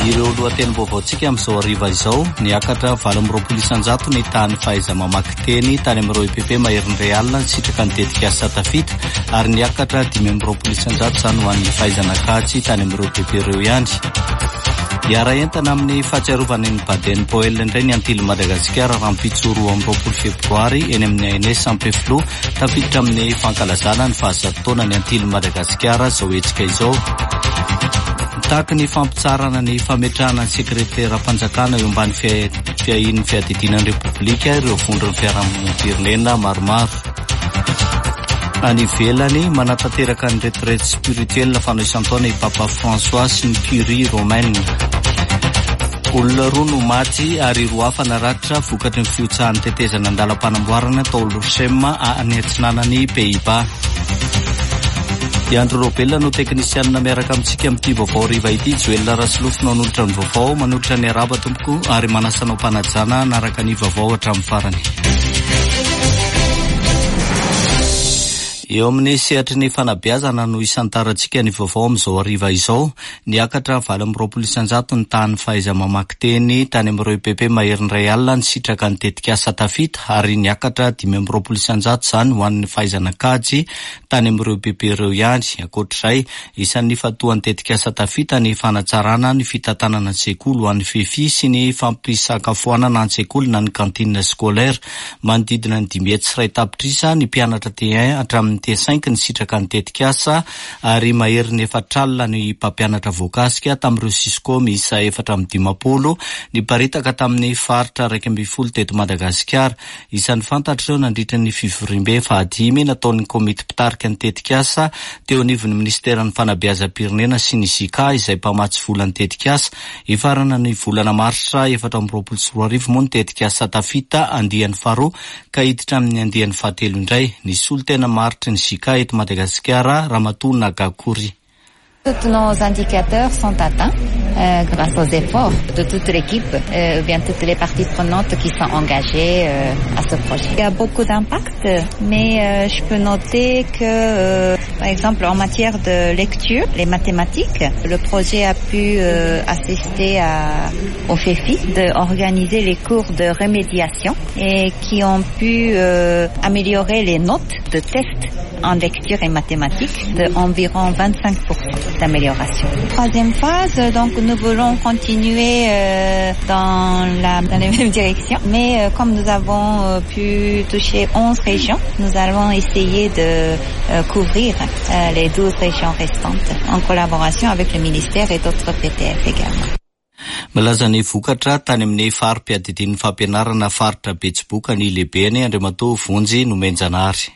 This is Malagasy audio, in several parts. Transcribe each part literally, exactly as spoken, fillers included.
Ireo lohatenim-baovaontsika amin'izao hariva izao: niakatra valo amby roapolo isanjato ny tahan'ny fahaiza-mamaky teny tany amin'ireo E P P maherin'ny iray alina nisitraka ny tetikasa Tafita, ary niakatra dimy amby roapolo isanjato izany ho an'ny fahaizana kajy tany amin'ireo E P P ireo ihany. Hiara-entana amin'ny fahatsiarovana ny Baden Powell indray ny Antily Madagasikara rahampitso roa amby roapolo febroary eny amin'ny A N S Ampefiloha. Tafiditra amin'ny fankalazana ny fahazato taona ny Antily Madagasikara izao hetsika izao. Mitaky ny fampitsaharana ny fametrahana ny sekreteram-panjakana eo ambany fiahian'ny fiadidiana ny Repoblika ireo vondron'ny fiarahamonim-pirenena maromaro. Any ivelany, manatanteraka ny retraite spirituelle fanao isan-taona i Papa François sy ny Curie romaine. Olona roa no maty ary roa hafa naratra vokatry ny fihotsahan'ny tetezana an-dalam-panamboarana tao Lochem any atsinanany Pays-Bas. I Andro Robelona no teknisianina miaraka amintsika amin'ity vaovao hariva ity. Joel Rasolofo no hanolotra ny vaovao. Manolotra ny araba tompoko ary manasa anao am-panajana hanaraka ny vaovao hatramin'ny farany. Eo amin'ny sehatry ny fanabeazana no isantarantsika ny vaovao amin'izao hariva izao. Niakatra valo amby roapolo isanjato ny tahan'ny fahaiza-mamaky teny tany amin'ireo E P P maherin'ny iray alina nisitraka ny tetikasa Tafita, ary niakatra dimy amby roapolo isanjato izany ho an'ny fahaizana kajy tany amin'ireo E P P ireo ihany. Ankoatr'izay, isan'ny fatoan'ny tetikasa Tafita ny fanatsarana ny fitantanana ny sekoly ho an'ny FEFI sy ny fampisakafoanana an-tsekoly na ny cantine scolaire. Manodidina ny dimy hetsy sy iray tapitrisa ny mpianatra T un hatramin'ny T cinq nisitraka ny tetikasa, ary maherin'ny efatra alina ny mpampianatra voakasika tamin'ireo Cisco miisa efatra amby dimampolo niparitaka tamin'ny faritra iraika ambin'ny folo teto Madagasikara. Isan'ny fantatra ireo nandritra ny fivoriambe fahadimy nataon'ny komity mpitarika ny tetikasa teo anivon'ny ministeran'ny fanabeazam-pirenena sy ny JICA izay mpamatsy vola ny tetikasa. Hifarana ny volana marsa efatra amby roapolo sy roa arivo moa ny tetikasa Tafita andiany faharoa ka hiditra amin'ny andiany fahatelo indray. Ny solontena maharitry ny JICA eto Madagasikara, Ramatoa Nagakori. Tous nos indicateurs sont atteints euh, grâce aux efforts de toute l'équipe, euh, ou bien toutes les parties prenantes qui sont engagées euh, à ce projet. Il y a beaucoup d'impact, mais euh, je peux noter que, euh, par exemple, en matière de lecture, les mathématiques, le projet a pu euh, assister à, au FEFI d'organiser les cours de remédiation et qui ont pu euh, améliorer les notes de tests en lecture et mathématiques de environ vingt-cinq pour cent d'amélioration. Troisième phase, donc nous voulons continuer euh, dans la, dans la même direction, mais euh, comme nous avons euh, pu toucher onze régions, nous allons essayer de euh, couvrir euh, les douze régions restantes en collaboration avec le ministère et d'autres P T F également. Milaza ny vokatra tany amin'ny fari-piadidian'ny fampianarana faritra Betsiboka ny lehibeny, Andriamatoa Vonjy Nomenjanahary.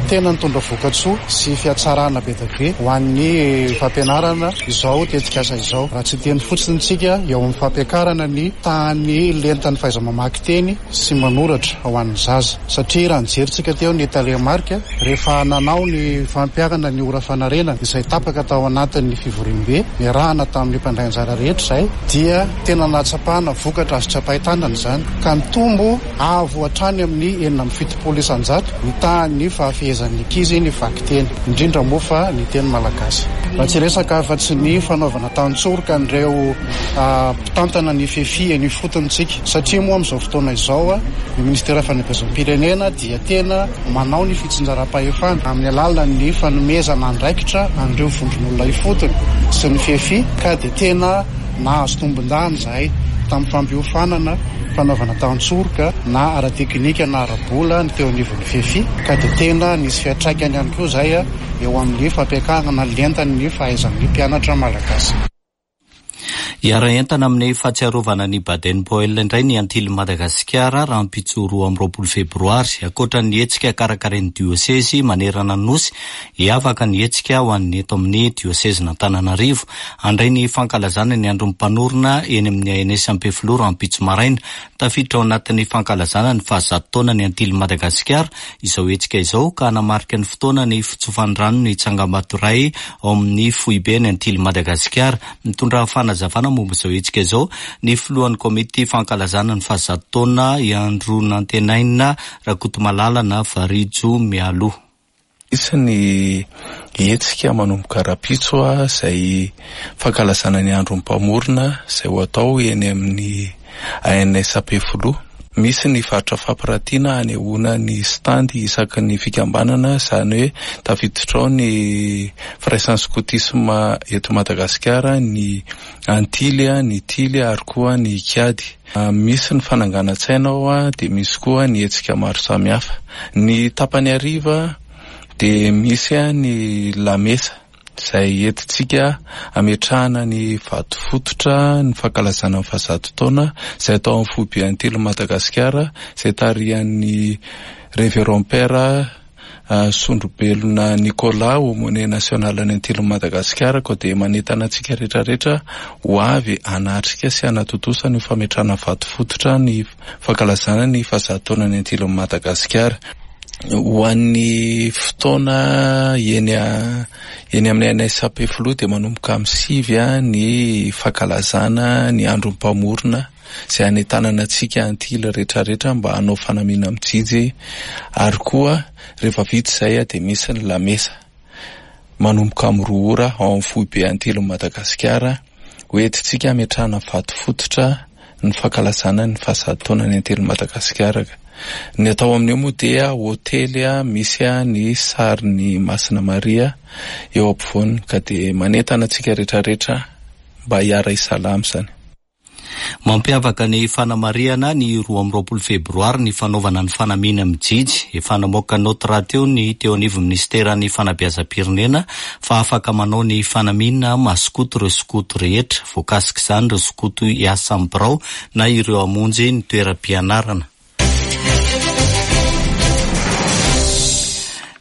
Tena nitondra vokatsoa sy fiatsarana be dia be ho an'ny fampianarana izao tetikasa izao. Raha tsy teny fotsiny tsika eo amin'ny fampiakarana ny tahan'ny lentan'ny fahaiza-mamaky teny sy manoratra ho an'ny zaza, satria raha nijerentsika teo ny tarehimarika rehefa nanao ny fampiharana ny ora fanarenana izay tapaka tao anatin'ny fivoriambe niarahana tamin'ny mpandray anjara rehetra izay, dia tena nahatsapana vokatra azo tsapain-tanana izany, ka nitombo avo hatrany amin'ny enina amby fitopolo isanjato ny tahan'ny fahafehezan'ny ankizy ny vakiteny, indrindra moa fa ny teny malagasy. Raha tsy resaka afa-tsy ny fanaovana tantsoroka an'ireo mpitantana ny FEFI eny ifotony tsika, satria moa amin'izao fotoana izao a ny ministera fanabeazam-pirenena dia tena manao ny fitsinjaram-pahefana amin'ny alalan'ny fanomezana andraikitra an'ireo vondron'olona ifotony sy ny FEFI, ka dia tena nahazo tombon-dahiny zahay tamin'ny fampiofanana, fanaovana tantsoroka na ara-teknika na ara-bola ny teo anivon'ny FEFI, ka dia tena nisy fiatraikany ihany koa zay a eo amin'ny fampiakarana lentan'ny fahaizan'ny mpianatra malagasy. Hiara-entana amin'ny fahatsiarovana ny Baden Powell indray ny Antily Madagasikara rahampitso roa amby roapolo febroary. Ankoatra ny hetsika karakarain'ny diosezy manerana ny nosy, hiavaka ny hetsika ho an'ny eto amin'ny diosezin'Antananarivo. Handray ny fankalazana ny andron'ny mpanorina eny amin'ny A N S Ampefiloha rahampitso maraina. Tafiditra ao anatin'ny fankalazana ny fahazato taona ny Antily Madagasikara izao hetsika izao, ka hanamarika ny fotoana ny fitsofan-drano ny tsangambato iray ao amin'ny foibe ny Antily Madagasikara. Mitondra fanazavana momba izao hetsika izao ny filohan'ny komity fankalazana ny fahazato taona, i Andro Nantenaina Rakotomalala na Varijo Mialoha. Misy ny hetsika manomboka rahampitso izay fankalazana ny andron'ny mpamorona izay ho atao eny amin'ny A N S Ampefiloha. Misy ny varotra fampiratiana anehoana ny stand isaky ny fikambanana, izany hoe tafiditra ao ny firaisan'ny skotisma eto Madagasikara, ny Antily, ny Tily ary koa ny Kiady. Misy ny fananganan-tsaina ao, dia misy koa ny hetsika maro samihafa. Ny tapany hariva dia misy ny lamesa izay entintsika ametrahana ny vato fototra ny fankalazana ny fahazato taona izay atao amin'ny foibe Antily Madagasikara, izay tarihan'ny Révérend Père Sondrobelona Nicolas, aumônier national any Antily Madagasikara. Koa dia manentana antsika rehetrarehetra ho avy hanatrika sy hanatontosa ny fametrahana vato fototra ny fankalazana ny fahazato taona ny Antily Madagasikara. Ho an'ny fotoana eny eny amin'ny A N S Ampefiloha dia manomboka amin'ny sivy ny fankalazana ny andron'ny mpamorona izay hanentanana antsika Antily rehetrarehetra mba hanao fanamiana mijijy, ary koa rehefa vita izay dia misy ny lamesa manomboka amin'ny roa ora ao amin'ny foibe Antily Madagasikara, ho entintsika hametrahana vato fototra ny fankalazana ny fahazato taona ny Antily Madagasikara. Ny atao amin'io moa dia hôtely misy ny sarin'ny Masina Maria eo ampovoany, ka dia manentana antsika rehetrarehetra mba hiara-hisalama izany. Mampiavaka ny fanamarihana ny roa amby roapolo febroary ny fanaovana ny fanamiana mijijy. Efa namoaka naoty rahateo ny teo anivon'ny ministeran'ny fanabeazam-pirenena fa afaka manao ny fanamiana maskoto ireo skoto rehetra. Voakasika izany ireo skoto hiasa amin'ny birao na ireo hamonjy ny toeram-pianarana.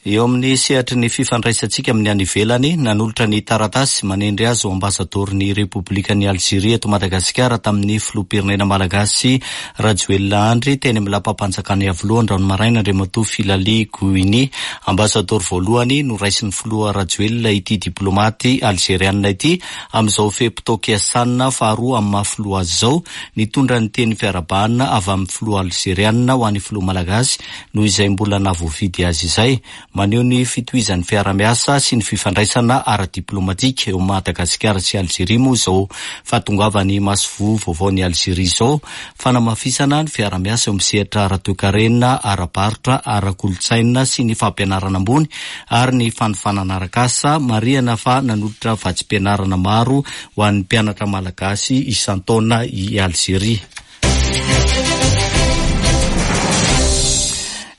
Eo amin'ny sehatry ny fifandraisantsika amin'ny any ivelany, nanolotra ny taratasy manendry azy ho ambasadorin'ny Repoblikan'i Alzeria eto Madagasikara tamin'ny filoham-pirenena malagasy Rajoelina Andry teny amin'ny lapam-panjakana Iavoloha androany maraina Andriamatoa Filali Gouini. Ambasador voalohany noraisin'ny filoha Rajoelina ity diplomaty alzerianina ity amin'izao fe-potoam-piasana faharoa amin'ny maha filoha azy izao. Nitondra ny teny fiarahabana avy amin'ny filoha alzerianina ho an'ny filoha malagasy noho izay mbola nahavoafidy azy izay. Maneho ny fitohizan'ny fiarahamiasa sy ny fifandraisana ara-diplomatika eo Madagasikara sy Alzeria moa izao fahatongavan'ny masoivoho vaovaon'i Alzeria izao. Fanamafisana ny fiarahamiasa eo amin'ny sehatra ara-toekarena, ara-barotra, ara-kolontsaina sy ny fampianarana ambony ary ny fanofanana arak'asa. Marihana fa nanolotra vatsim-pianarana maro ho an'ny mpianatra malagasy isan-taona i Alzeria.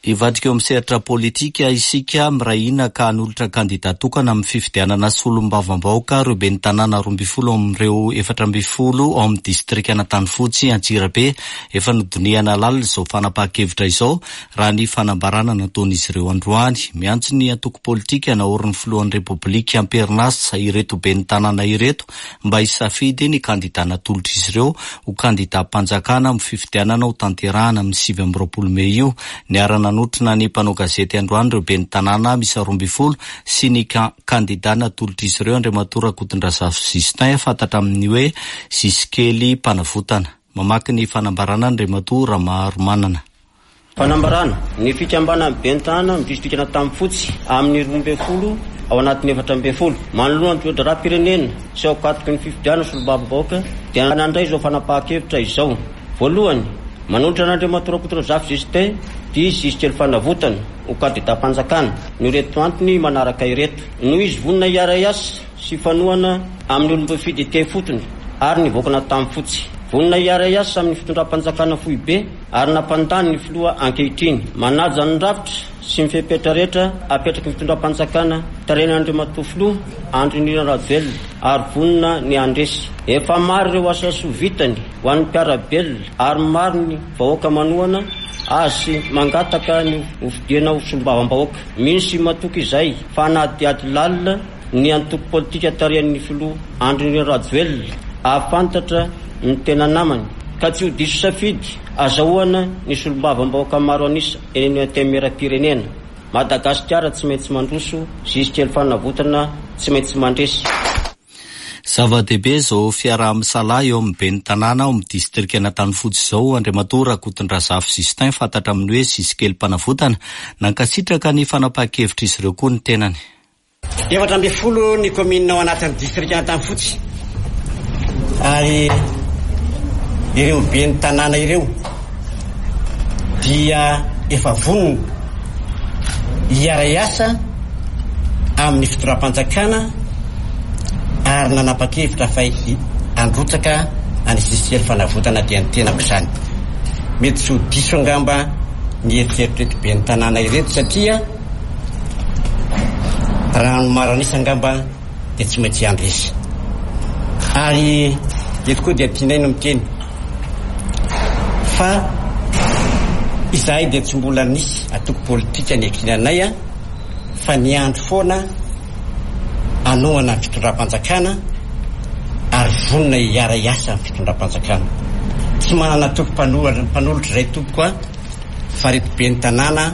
Hivadika eo amin'ny sehatra politika isika, miray hina ka hanolotra kandida tokana amin'ny fifidianana solombavambahoaka ireo ben'ny tanàna roa ambin'ny folo amin'ireo efatra ambin'ny folo ao amin'ny distrikan'Antanifotsy Antsirabe. Efa nodinihana lalina izao fanapahan-kevitra izao raha ny fanambarana nataon'izy ireo androany. Miantso ny antoko politika naorin'ny filohan'ny Repoblika am-perinasa ireto ben'ny tanàna ireto mba hisafidy ny kandida natolotr'izy ireo ho kandidam-panjakana amin'ny fifidianana ho tanterahana amin'ny sivy amby roapolo mey io. Niarana nanotrona ny mpanao gazety androany ireo ben'ny tanàna miisa roa ambin'ny folo sy ny kandida natolotr'izy ireo Andriamatoa Rakotondrazafy Justin, fantatra amin'ny hoe Zisikely Mpanavotana. Mamaky ny fanambarana Andriamatoa Ramaromanana. Fanambarana ny fikambanana ben'ny tanàna amin'ny distrikan'Antanifotsy amin'ny roa ambin'ny folo ao anatin'ny efatra ambin'ny folo manoloana ny toe-draharaham-pirenena sy ao ankatoky ny fifidianana solombavambahoaka dia nandray izao fanapahan-kevitra izao. Voalohany, manolotra an'Andriamatoa Rakotondrazafy Justin dia Zisikely Fanavotana ho kandidam-panjakana noho ireto antony manaraka ireto: noho izy vonona hiara-hiasa sy fanohana amin'ny olom-boafidy ety ifotony ary ny vahoakan'Antanifotsy, vonona hiara-hiasa amin'ny fitondram-panjakana foibe ary nampandany ny filoha ankehitriny, manaja ny rafitra sy ny fepetra rehetra apetraky ny fitondram-panjakana tarihan'Andriamatoa filoha Andry Nirina Rajoelina ary vonona ny handresy. Efa maro ireo asa soa vitany ho an'ny mpiara-belona ary maro ny vahoaka manohana azy sy mangataka ny hofidiana ho solombavambahoaka. Mino sy matoky izay fa hanadihady lalina ny antoko politika tarihan'ny filoha Andry Nirina Rajoelina ahafantatra ny tena namany ka tsy ho diso safidy azahoana ny solombavambahoaka maro an'isa eny amin'ny antenimieram-pirenena. Madagasikara tsy maintsy mandroso, Zisikely Fanavotana tsy maintsy mandresy. Zava-dehibe izao fiaraha-misalahy eo amin'ny ben'ny tanàna ao amin'ny distrikan'Antanifotsy izao. Andriamatoa Rakotondrazafy Justin, fantatra amin'ny hoe Zisikely Mpanavotana, nankasitraka ny fanapahan-kevitra izy ireo koa ny tenany. Efatra ambin'ny folo ny kaominina ao anatin'ny distrikan'Antanifotsy, ary ireo ben'ny tanàna ireo dia efa vonona hiara-hiasa amin'ny fitondram-panjakana ary nanapa-kevitra fa handrotsaka any Zisikely Fanavotana, dia ny tenako izany. Mety tsy ho diso angamba ny eritreritr'ireto ben'ny tanàna ireto, satria raha ny maro an'isa angamba dia tsy maintsy handresy. Ary eto koa dia tianay no miteny fa izahay dia tsy mbola nisy antoko politika ny ankinanay a fa niandry foana hanohana ny fitondram-panjakana ary vonona hiara-hiasa amin'ny fitondram-panjakana. Tsy manana antoko mpanolotra izay tompoko a fa reto ben'ny tanàna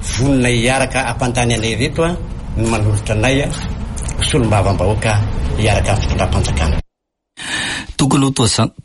vonona hiaraka hampandany anay ireto a no manolotra anay ho solombavambahoaka hiaraka amin'ny fitondram-panjakana. Tokony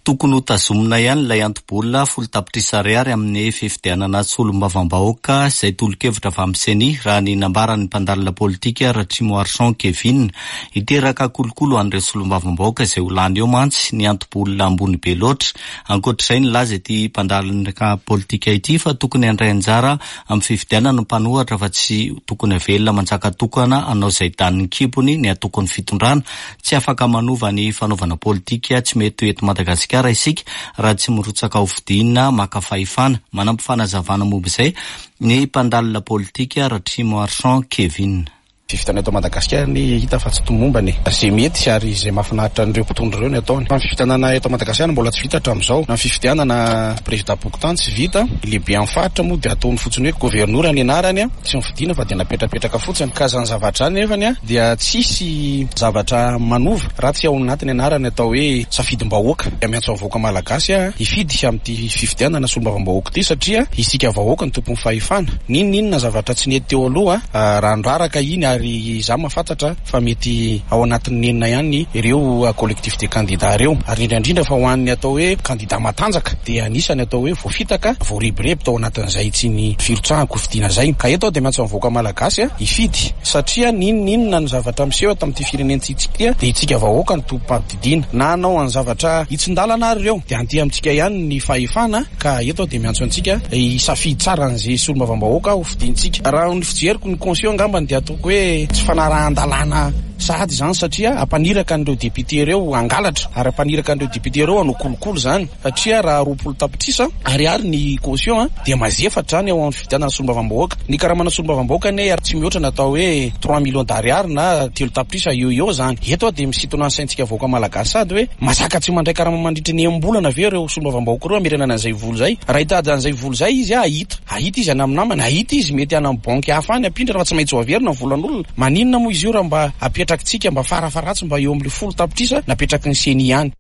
tokony ho tazomina ihany ilay anto-bola folo tapitrisa ariary amin'ny fifidianana solombavambahoaka izay tolo-kevitra avy amin'ny CENI, raha ny nambaran'ny mpandalina politika Ratrimoarison Kevin. Hiteraka kolikoly an'ireo solombavambahoaka izay ho lany eo mantsy ny anto-bola ambony be loatra. Ankoatr'izay, nilaza ity mpandalina politika ity fa tokony handray anjara amin'ny fifidianana ny mpanohitra fa tsy tokony avelona manjaka tokana hanao izay danin'ny kibony ny antokon'ny fitondrana. Tsy afaka manova ny fanaovana politika tsy mety eto Madagasikara isika raha tsy mirotsaka ho fidiana maka fahefana. Manampy fanazavana momba izay ny mpandalina politika Ratrimoarison Kevin. Fifidianana eto Madagasikara ny hita fa tsy tomombana e. Izay mety ary izay mahafinaritra an'ireo mpitondra ireo ny ataony. Fa ny fifidianana eto Madagasikara mbola tsy vita hatramin'izao. Na ny fifidianana président fokontany tsy vita, lehibe amin'ny faritra moa dia ataony fotsiny hoe gouverneur ny anarany, tsy mifidiana fa dia napetrapetraka fotsiny. Ka zany zavatra zany nefany dia tsisy zavatra manova raha tsy ao anatin'ny anarany atao hoe safidim-bahoaka. Dia miantso ny vahoaka malagasy hifidy amin'ity fifidianana solombavambahoaka ity, satria isika vahoaka no tompon'ny fahefana. N'inon'inona zavatra tsy nety teo aloha, raha niraraka iny, ary izaho mahafantatra fa mety ao anatin'ny nenina ihany ireo collectif de candidats ireo, ary indrindra indrindra fa ho an'ny atao hoe candidat matanjaka dia anisany atao hoe voafitaka, voarebireby tao anatin'izay tsy ny firotsahana hofidiana zay. Ka eto aho dia miantso ny vahoaka malagasy hifidy, satria n'inon'inona ny zavatra miseho eto amin'ity firenentsika dia isika vahoaka no tompom-padidiana. Na hanao ny zavatra hitsin-dalana ary ireo dia anty amintsika ihany ny fahefana. Ka eto aho dia miantso antsika hisafidy tsara an'izay solombavambahoaka hofidiantsika. Raha ny fijeriko ny caution angambany dia ataoko hoe tsy fanarahan-dalàna sahady izany, satria ampaniraka an'ireo député ireo hangalatra ary ampaniraka an'ireo député ireo hanao kolikoly zany, satria raha roapolo tapitrisa ariary ny caution dia mazefatra zany ao amin'ny fifidianana solombavambahoaka. Ny karamana solombavambahoaka anie tsy mihoatra ny atao hoe trois millions d'ariary na telo tapitrisa eo eo zany. Eto aho dia misintona ny saintsika vahoaka malagasy sady hoe mazaka tsy mandray karama mandritra ny enim-bolana ve ireo solombavambahoaka ireo hamerenana an'izay vola zay? Raha hitady an'izay vola zay izy, ahita ahita izy any amin'ny namany, ahita izy mety any amin'ny banky hafa any ampindrana, fa tsy maintsy ho averina ny volan'olona. Maninona moa izy io raha mba apetrakitsika mba farafaratsy mba eo amin'le folo tapitrisa napetraky ny CENI ihany?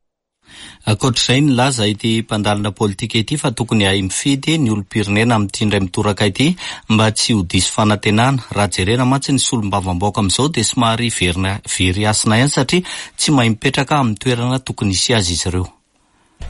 Ankoatr'izay, nilaza ity mpandalina politika ity fa tokony hahay mifidy ny olom-pirenena amin'ity indray mitoraka ity mba tsy ho diso fanantenana. Raha jerena mantsy ny solombavambahoaka amin'izao dia somary verina very hasina ihany, satria tsy mahay mipetraka amin'ny toerana tokony hisy azy izy ireo.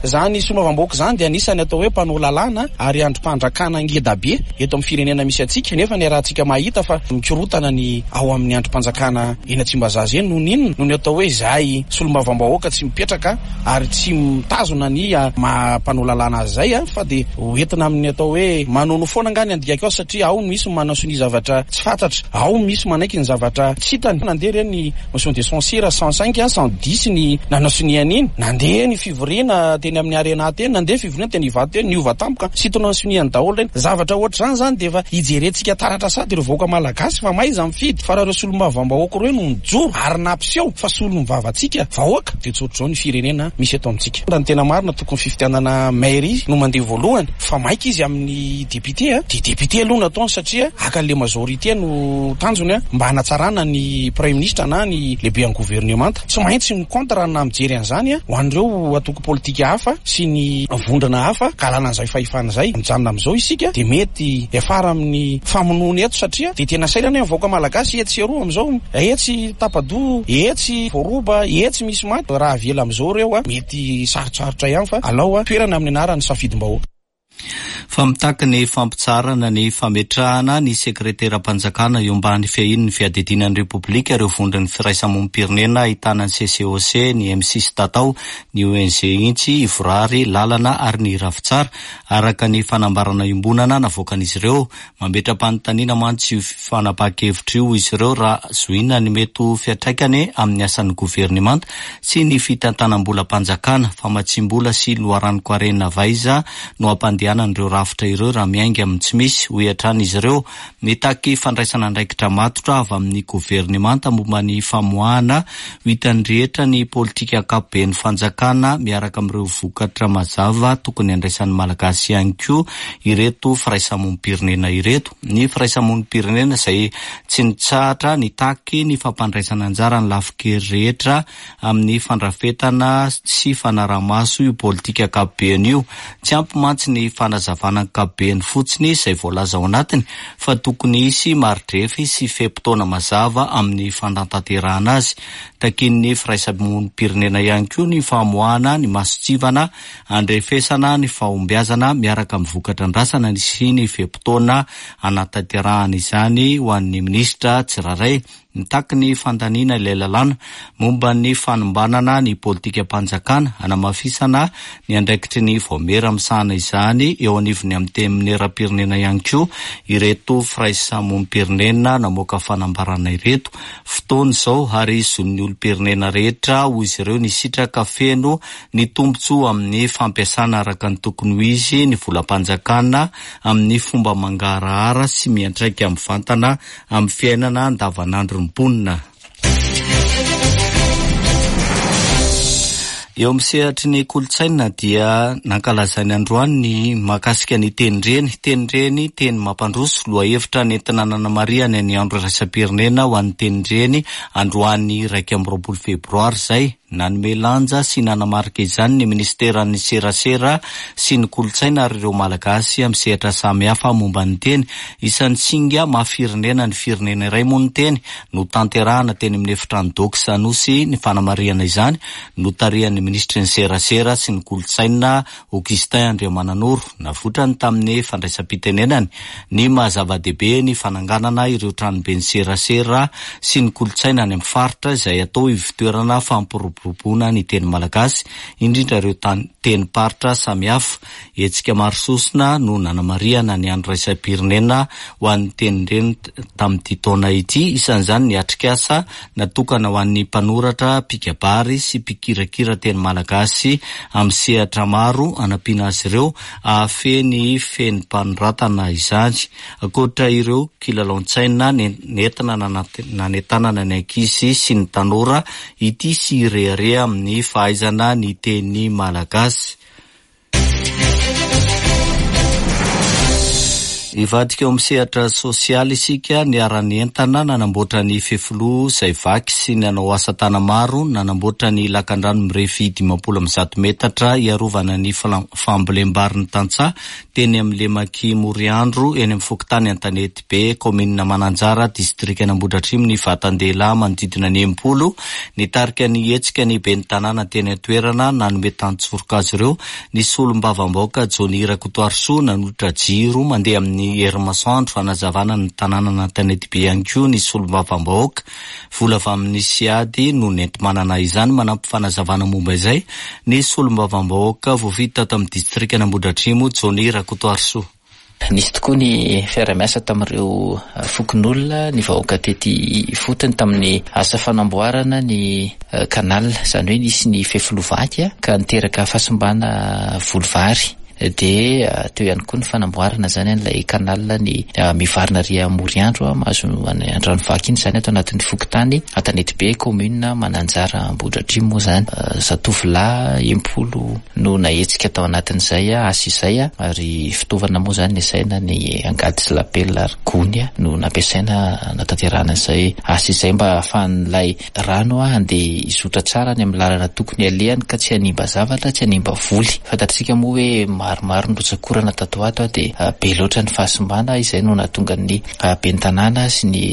Zany solombavambahoaka zany dia anisany atao hoe mpanao lalàna ary andrim-panjakana ngeda be eto amin'ny firenena misy antsika, nefa ny rahantsika mahita fa mikorotana ny ao amin'ny andrim-panjakana eny Tsimbazaza eny. Noho n'inona? Noho ny atao hoe zahay solombavambahoaka tsy mipetraka ary tsy mitazona ny maha mpanao lalàna azy zay, fa dia hoentina amin'ny atao hoe manono foana nga ny andikako ao, satria ao misy manao sonia zavatra tsy fantatra, ao misy manaiky ny zavatra tsy hitany. Nandeha reny motion de censure cent cinq, cent dix ny nanao sonia an'iny, nandeha ny fivoriana teny amin'ny Arena teny, nandeha fivoriana teny Ivato teny, niova tampoka sintona ny soniany daholo reny. Zavatra ohatra zany zany dia efa hijerentsika taratra sady ireo vahoaka malagasy fa maiza mifidy. Fa raha ireo solombavambahoaka ireo no nijoro ary nampiseho fa solom-vavantsika vahoaka, dia tsy ohatr'izao ny firenena misy eto amintsika. Raha ny tena marina, tokony fifidianana mairie no mandeha voalohany, fa maika izy amin'ny député, dia député aloha no ataony, satria haka le majorité no tanjony mba hanatsarana ny premier ministre na ny lehibe amin'ny gouvernemanta. Tsy maintsy mi-contre na mijery an'izany ho an'ireo antoko politika hafa. hafa sy ny vondrona hafa ka alana an'izay fahefana izay. Mijanona amin'izao isika dia mety hiafara amin'ny famonoana eto, satria dia tena sairana ny vahoaka malagasy etsy sy eroa amin'izao, etsy tapa-doha, etsy voaroba, etsy misy maty. Raha avela amin'izao ireo a, mety sarotsarotra ihany, fa alao a toerana amin'ny anaran'ny safidim-bahoaka. Fa mitaky ny fampitsaharana ny fametrahana ny sekreteram-panjakana eo ambany fiahian'ny fiadidiana ny Repoblika ireo vondron'ny firaisamonim-pirenena ahitana ny C C O C, ny M six Tatao, ny O N G Intsy, Ivorary, Lalana ary ny Ravitsara, araka ny fanambarana iombonana navoakan'izy ireo. Mametra-panontaniana mantsy io fanapahan-kevitra io izy ireo raha zohina ny mety ho fiantraikany amin'ny asan'ny governemanta sy ny fitantanam-bolam-panjakana. Famatsim-bola sy loharanon-karena avy aiza no hampandehanan'ireo rafitra ireo raha miainga amin'ny tsy misy, hoy hatrany izy ireo. Mitaky fandraisana andraikitra matotra avy amin'ny governemanta momba ny famoahana ho hitan'ny rehetra ny politika ankapoben'ny fanjakana miaraka amin'ireo vokatra mazava tokony andraisan'ny Malagasy ihany koa ireto firaisamonim-pirenena ireto. Ny firaisamonim-pirenena izay tsy nitsahatra nitaky ny fampandraisana anjara ny lafin-kery rehetra amin'ny fandrafetana sy fanarahamaso io politika ankapobeny io. Tsy ampy mantsy ny fanazavana ankapobeny fotsiny izay voalaza ao anatiny, fa tokony hisy maridrefy sy fe-potoana mazava amin'ny fanatanterahana azy. Takin'ny firaisamonim-pirenena ihany koa ny famoahana ny mason-tsivana andrefesana ny fahombiazana miaraka amin'ny vokatra andrasana sy ny fe-potoana anatanterahana izany ho an'ny minisitra tsirairay. Mitaky ny fandaniana ilay lalàna momba ny fanombanana ny politikam-panjakana anamafisana ny andraikitry ny vaomiera misahana izany eo anivon'ny antenimieram-pirenena ihany koa ireto firaisamonim-pirenena namoaka fanambarana ireto. Fotoana izao ary zon'ny olom-pirenena rehetra, hoy izy ireo, ny hisitraka feno ny tombontsoa amin'ny fampiasana araka ny tokony ho izy ny volam-panjakana amin'ny fomba mangarahara sy miantraika mivantana amin'ny fiainana andavanandro ny mponina. Eo amin'ny sehatry ny kolontsaina dia nankalazainy androany ny mahakasika ny tenindreny. Tenindreny, teny mampandroso, lohahevitra nentina nanamarihana ny andro iraisam-pirenena ho an'ny tenindreny androany iraika amby roapolo febroary izay. Nanome lanja sy nanamarika izany ny ministeran'ny serasera sy ny kolontsaina ary ireo Malagasy amin'ny sehatra samihafa momba ny teny. Isan'ny singa mahafirenena ny firenena iray moa ny teny. No tanterahana teny amin'ny efitrano Dox Anosy ny fanamarihana izany, notarihan'ny ministry ny serasera sy ny kolontsaina Augustin Andriamananoro. Navoitrany tamin'ny fandraisam-pitenenany ny mahazava-dehibe ny fananganana ireo tranobe ny serasera sy ny kolontsaina any amin'ny faritra, izay atao ivontoerana fampiroboroboana ny teny malagasy, indrindra ireo tenim-paritra samihafa. Hetsika maro sosona no nanamarihana ny andro iraisam-pirenena ho an'ny tenindreny tamin'ity taona ity. Isan'izany ny atrikasa natokana ho an'ny mpanoratra, mpikabary sy mpikirakira teny malagasy amin'ny sehatra maro, anampiana azy ireo ahafeny feni-panoratana izany. Ankoatra ireo kilalaon-tsaina nentina nanentanana ny ankizy sy ny tanora ity sy rehareha amin'ny fahaizana ny teny malagasy. Hivadika eo amin'ny sehatra sosialy isika. Niara-nientana nanamboatra ny fefiloha izay vaky sy nanao asa tana maro nanamboatra ny lakandrano mirefy dimampolo amby zato metatra hiarovana ny fambolem-bary ny tantsaha teny amin'ny lemaky Moriandro eny amin'ny fokontany Antanety Be, kaominina Mananjara, distrikan'Ambohidratrimo, ny vatan-dehilahy manodidina ny enimpolo. Nitarika ny hetsika ny ben'ny tanàna teny an-toerana. Nanome tantsoroka azy ireo ny solombavambahoaka Johnny Rakotoarisoa. Nanolotra jiro mandeha amin'ny herin'ny masoandro fanazavana ny tanàna Antanety Be ihany koa ny solombavambahoaka. Vola avy amin'ny SIAD no nenti-manana izany. Manampy fanazavana momba izay ny solombavambahoaka voafidy tato amin'ny distrikan'Ambohidratrimo Johnny Rakotoarisoa. Nisy tokoa ny fiarahamiasa tamin'ireo fokonolona, ny vahoaka tety ifotony tamin'ny asa fanamboarana ny canal, izany hoe nisy ny fefiloha vaky ka niteraka fahasimbana voly vary. Dia teo ihany koa ny fanamboarana zany an'ilay canal ny mivarina ry Moriandro mahazo Andranovaky iny zany ato anatin'ny fokontany Antanetibe, commune Mananjara Ambohidratrimo moa zany. Zatovolahy impolo no nahetsika tao anatin'izay asa izay, ary fitaovana moa zany nasaina ny angady sy lapela ary gony no nampiasaina natanterahana izay asa izay mba ahafahan'ilay rano handeha hizotra tsara any amin'ny lalana tokony alehany ka tsy hanimba zavatra, tsy hanimba voly. Fantatsika moa hoe maromaro ny rotsakorana tato ato dia be loatra ny fahasimbana, izay no nahatonga ny ben'ny tanàna sy ny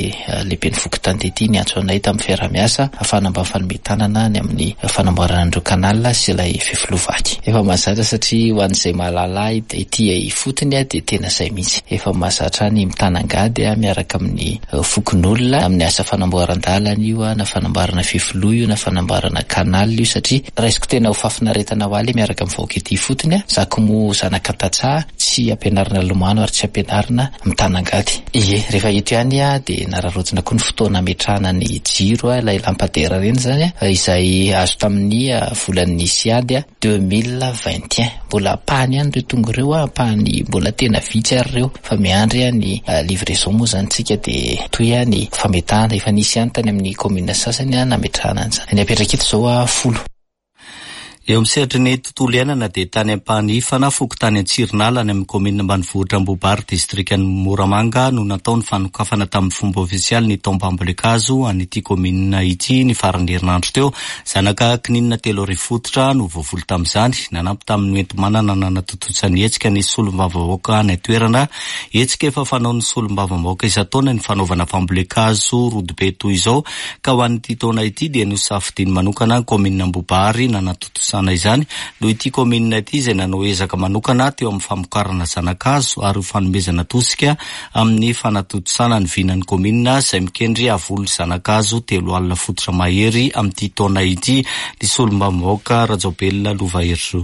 lehiben'ny fokontany tety niantso anay tamin'ny fiaraha-miasa ahafahana mba mifanome tanana ny amin'ny fanamboarana an'ireo canal sy ilay fefiloha vaky. Efa mahazatra satria ho an'izay mahalala ahy ety ifotony dia tena izay mihitsy. Efa mahazatra ny mitanangady miaraka amin'ny fokonolona amin'ny asa fanamboaran-dalana io, na fanamboarana fefiloha io, na fanamboarana canal io, satria raisiko tena ho fahafinaretana ho ahy miaraka amin'ny vahoaka ety ifotony. Za koa moa zanaka tantsaha, tsy ampianarina lomano ary tsy ampianarina mitanangady. Ie, rehefa eto ihany dia nararaotina koa ny fotoana ametrahana ny jiro, ilay lampadera ireny zany, izay azo tamin'ny volan'ny SIAD deux mille vingt et un. Mbola ampahany ihany ireo tonga ireo, ampahany mbola tena vitsy ary ireo, fa miandry ny livraison moa zany tsika dia toy ny fametahana efa nisy ihany tany amin'ny commune sasany nametrahana an'izany. Ny apetraka eto izao folo. Eo amin'ny sehatry ny tontolo iainana dia tany Ampanifana, fokontany Antsirinala any amin'ny kaominina ambanivohitra Ambohibary, distrikan'i Moramanga no natao ny fanokafana tamin'ny fomba ofisialy ny taom-pambolen-kazo an'ity kaominina ity ny faran'ny herinandro teo. Zanaka kininina telo arivo fototra no voavoly tamin'izany. Nanampy tamin'ny hoenti-manana nanatontosa ny hetsika ny solombavambahoaka any an-toerana. Hetsika efa fanaon'ny solombavambahoaka isan-taona ny fanaovana fambolen-kazo rodobe toy izao, ka ho an'ity taona ity dia nosafidiany manokana ny kaominina Ambohibary nanatontosa izany noho ity kaominina ity izay nanao ezaka manokana teo amin'ny famokarana zanakazo ary ho fanomezana tosika amin'ny fanatontosana ny vinan'ny kaominina izay mikendry havoly zanakazo telo alina fototra mahery amin'ity taona ity. Ny solombavambahoaka Rajaobelina Lova Herizo.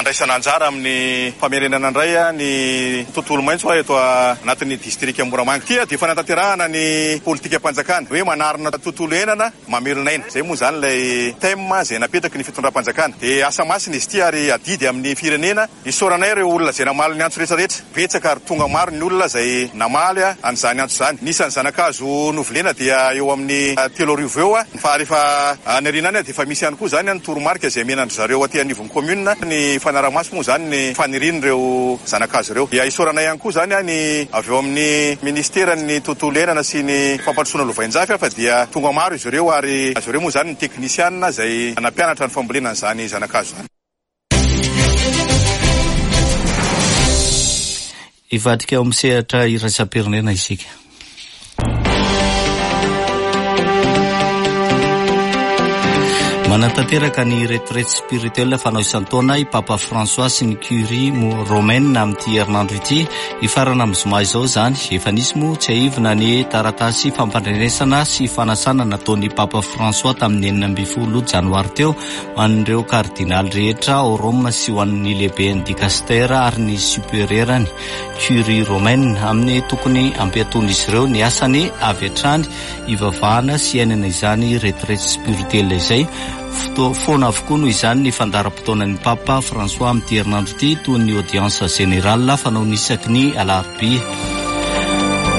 Andraisana anjara amin'ny famerenana indray ny tontolo maitso eto anatin'ny distrika Moramanga. Ity dia fanatanterahana ny politikam-panjakana hoe manarina tontolo iainana mamelona aina. Izay moa izany ilay thème izay napetraky ny fitondram-panjakana. Dia asa masina izy ity ary adidy amin'ny firenena. Isaoranay ireo olona izay namaly ny antso rehetrarehetra. Betsaka ary tonga maro ny olona izay namaly an'izany antso izany. Ny isan'ny zanakazo novolena dia eo amin'ny telo arivo eo, fa rehefa any aoriana any dia efa misy ihany koa izany ny toromarika izay omenandry zareo aty anivon'ny commune ny fanaramaso moa zany ny fanirian'ireo zanakazo ireo. Dia isaoranay ihany koa zany ny avy eo amin'ny ministeran'ny tontolo iainana sy ny fampandrosoana lovainjafy, fa dia tonga maro izy ireo ary azy ireo moa zany ny teknisianina izay nampianatra ny fambolena an'izany zanakazo izany. Hivadika eo amin'ny sehatra iraisam-pirenena isika. Manatanteraka ny retraite spirituelle fanao isan-taona i Papa François sy ny Curie romaine amin'ity herinandro ity. Hifarana amin'ny zoma izao izany. Efa nisy moa tsiahivina ny taratasy fampandrenesana sy fanasana nataon'ny Papa François tamin'ny enina ambin'ny folo janoary teo ho an'ireo kardinaly rehetra ao Roma sy ho an'ny lehiben'ny dikastera ary ny supérieurany Curie romaine amin'ny tokony hampiaton'izy ireo ny asany avy hatrany hivavahana sy iainana izany retraite spirituelle izay. Foana avokoa noho izany ny fandaharam-potoanan'ny Papa François amin'ity herinandro ity toy ny audience générale fanao isaky ny alarobia.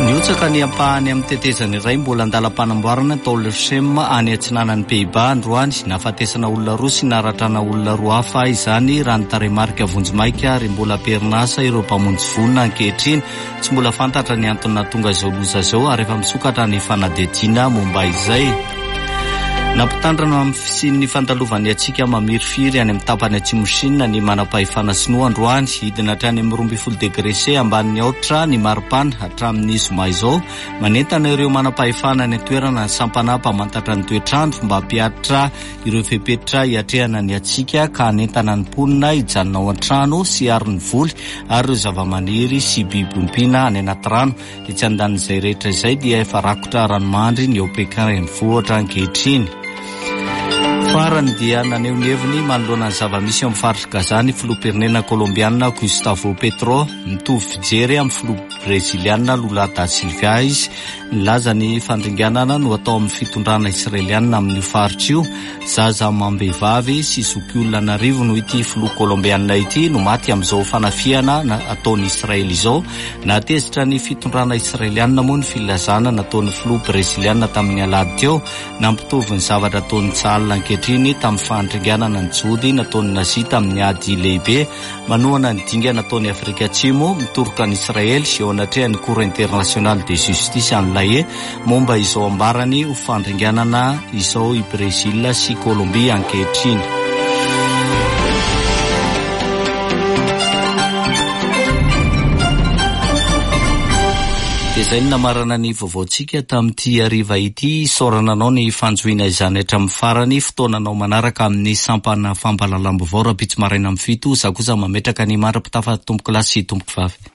Nihotsaka ny ampahany amin'ny tetezana iray mbola andalam-panamboarana tao Leuchem any atsinanan'ny Pays-Bas androany. Nahafatesana olona roa sy naratrana olona roa hafa izany raha ny tarehimarika vonjimaika ary mbola am-perinasa ireo mpamonjy voina ankehitriny. Tsy mbola fantatra ny antony nahatonga izao loza izao ary efa misokatra ny fanadihadiana momba izay. Nampitandrina amin'ny fisian'ny fandalovan'ny hatsiaka mamirifiry any amin'ny tapany atsimo Chine ny manam-pahefana sinoa androany. Hidina hatrany amin'ny roa ambin'ny folo degré C ambanin'ny aotra ny maripana hatramin'ny zoma izao. Manentana ireo manam-pahefana any an-toerana ny sampana mpamantatra ny toetrandro mba hampihatra ireo fepetra hiatrehana ny hatsiaka ka hanentana ny mponina hijanona ao an-trano sy hiaro ny voly ary ireo zavamaniry sy biby ompiana any anaty rano. Etsy andanin'izay rehetra izay dia efa rakotra ranomandry ny ao Pékin renivohitra ankehitriny. Farany dia naneho ny heviny manoloana ny zava-misy eo amin'ny faritry Gaza ny filoham-pirenena kolombiana Gustavo Petro. Mitovy fijery amin'ny filoha breziliana Lula da Silva izy Nilaza ny fandringanana no atao amin'ny fitondrana israelianina amin'io faritra io. Zaza amam-behivavy sy zokiolona an'arivony, hoy ity filoha kolombianina ity, no maty amin'izao fanafihana ataon'i Israely izao. Nahatezitra ny fitondrana israelianina moa ny filazana nataon'ny filoha brezilianina tamin'ny alahady teo, nampitovy ny zavatra ataon'ny Tsahal ankehitriny tamin'ny fandringanana ny Jody nataon'ny Nazi tamin'ny ady lehibe. Manohana ny dingana ataon'i Afrika Atsimo mitoroka an'i Israely eo anatrehan'ny Cour internationale de justice any La Haye momba izao ambarany ho fandringanana izao i Brésil sy Colombie ankehitriny. Dia izay no namarana ny vaovaontsika tamin'ity hariva ity. Isaorana anao ny fanjohiana izany hatramin'ny farany. Fotoananao manaraka amin'ny sampana fampahalalam-baovao rahampitso maraina amin'ny fito. Izaho kosa mametraka ny mandra-pitafa, tompoko lahy sy tompoko vavy.